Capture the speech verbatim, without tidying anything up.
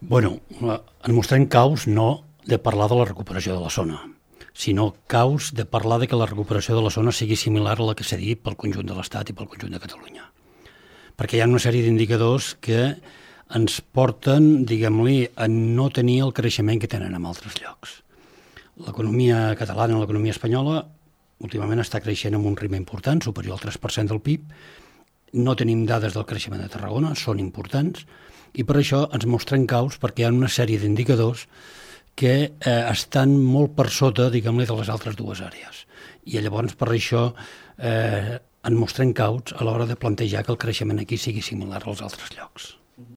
Bueno, en mostrem caus no de parlar de la recuperació de la zona, sinó caus de parlar de que la recuperació de la zona sigui similar a la que s'ha dit pel conjunt de l'Estat i pel conjunt de Catalunya. Perquè hi ha una sèrie d'indicadors que ens porten, diguem-li, a no tenir el creixement que tenen en altres llocs. L'economia catalana, l'economia espanyola, últimament està creixent amb un ritme important, superior al tres per cent del P I B. No tenim dades del creixement de Tarragona, són importants, i per això ens mostren caus perquè hi ha una sèrie d'indicadors que eh, estan molt per sota, diguem-li, de les altres dues àrees. I llavors per això eh, en mostrem caus a l'hora de plantejar que el creixement aquí sigui similar als altres llocs.